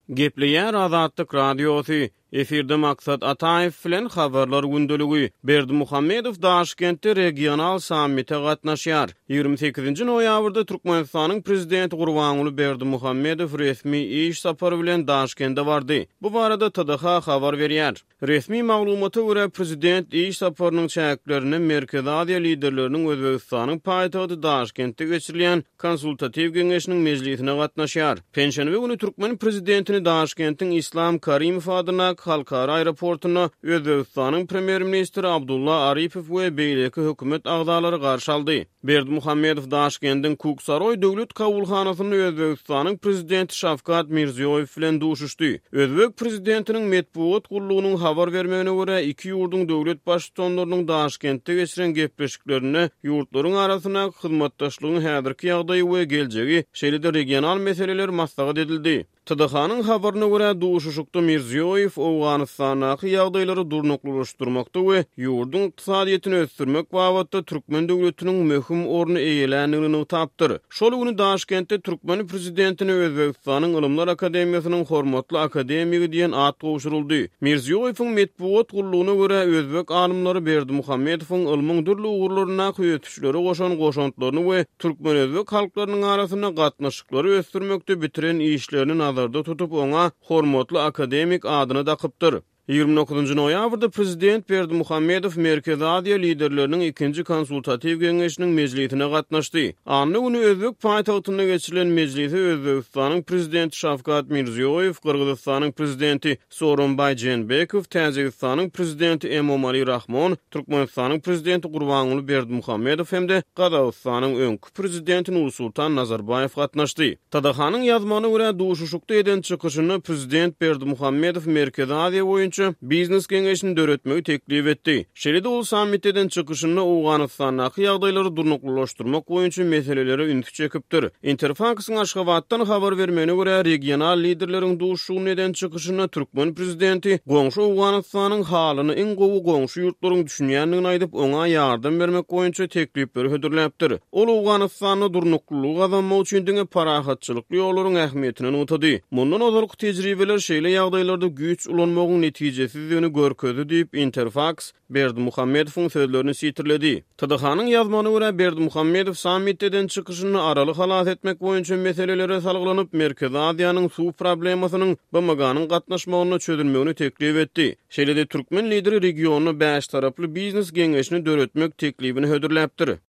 Gepleýär Azatlyk Radiosy, Efirde Maksat Ataýew bilen Habarlar gündeligi. Berdimuhamedow Daşkentde regional sammite gatnaşýar. 28-nji noýabrda Türkmenistanyň Prezidenti Gurbanguly Berdimuhamedow resmi iş sapary bilen Daşkende bardy. Bu barada TDH habar berýär. Resmi maglumata görä, prezident iş saparynyň çäklerinde Merkezi Aziýa liderleriniň Özbegistanyň paýtagty Daşkentde geçirilýän Konsultatiw geňeşiniň mejlisine gatnaşýar. Penşenbe güni türkmen prezidentini Daşkentiň Islam Karimow adyndaky halkara aeroportunda Özbegistanyň premýer-ministri Abdulla Aripow we beýleki hökümet agzalary garşy aldy. Berdimuhamedow Daşkendiň Kuksaroý döwlet kabulhanasynda Özbegistanyň Prezidenti Şawkat Mirziýoýew bilen duşuşdy. Özbek prezidentiniň metbugat gullugynyň habar bermegine görä, iki ýurduň döwlet Baştutanlarynyň Daşkentde geçiren gepleşiklerinde ýurtlaryň arasyndaky hyzmatdaşlygyň häzirki ýagdaýy we geljegi, şeýle-de regional meseleler maslahat edildi. TDH-nyň habaryna görä, duşuşykda Mirziýoýew Owganystandaky ýagdaýlary durnuklylaşdyrmakda we ýurduň ykdysadyýetini ösdürmek babatda türkmen döwletiniň möhüm orny eýeländigini nygtapdyr. Şol güni Daşkentde türkmen prezidentine Özbegistanyň Ylymlar akademiýasynyň hormatly akademigi diýen at gowşuryldy. Mirziýoýewiň metbugat gullugyna görä, özbek alymlary Berdimuhamedowyň ylmyň dürli ugurlaryndaky ösüşlere goşan goşantlaryny we türkmen-özbek halklarynyň arasynda gatnaşyklary ösdürmekde bitiren işlerini nazarda tutup, oňa hormatly akademik adyny dakypdyr. 29 noýabrda prezident Berdimuhamedow Merkezi Aziýa liderleriniň ikinji konsultatiw geňeşiniň mejlisine gatnaşdy. Anna güni özbek paýtagtynda geçirilen mejlise Özbegistanyň Prezidenti Şawkat Mirziýoýew, Gyrgyzystanyň Prezidenti Sooronbaý Jeenbekow, Täjigistanyň Prezidenti Emomali Rahmon, Türkmenistanyň Prezidenti Gurbanguly Berdimuhamedow hem-de Gazagystanyň öňki Prezidenti Nursultan Nazarbaýew gatnaşdy. TDH-nyň ýazmagyna görä, duşuşykda eden çykyşynda Prezident Berdimuhamedow Merkezi Aziýa boýunça Biznes geňeşini döretmegi teklip etdi. Şeýle-de ol sammitde eden çykyşynda Owganystandaky ýagdaýlary durnuklylaşdyrmak boýunça meselelere ünsi çekipdir. Interfaksyň Aşgabatdan habar bermegine görä, regional liderleriň duşuşygynda eden çykyşynda türkmen prezidenti goňşy Owganystanyň halyna iň gowy goňşy ýurtlaryň düşünýändigini aýdyp, oňa ýardam bermek boýunça teklipleri hödürläpdir. Ol Owganystanda durnuklylygy gazanmak üçin diňe parahatçylykly ýollaryň ähmiýetini nygtady. Mundan ozalky tejribeler şeýle ýagdaýlarda güýç ulanmagyň netijesizdigini görkezdi diýip, Interfaks Berdimuhamedowyň sözlerini sitirledi. TDH-nyň ýazmagyna görä, Berdimuhamedow sammitde eden çykyşynda Araly halas etmek boýunça meselelere salgylanyp, Merkezi Aziýanyň suw problemasynyň BMG-niň gatnaşmagynda çözülmegini teklip etdi. Şeýle-de türkmen lideri regionda bäştaraply biznes geňeşini döretmek teklibini hödürläpdir.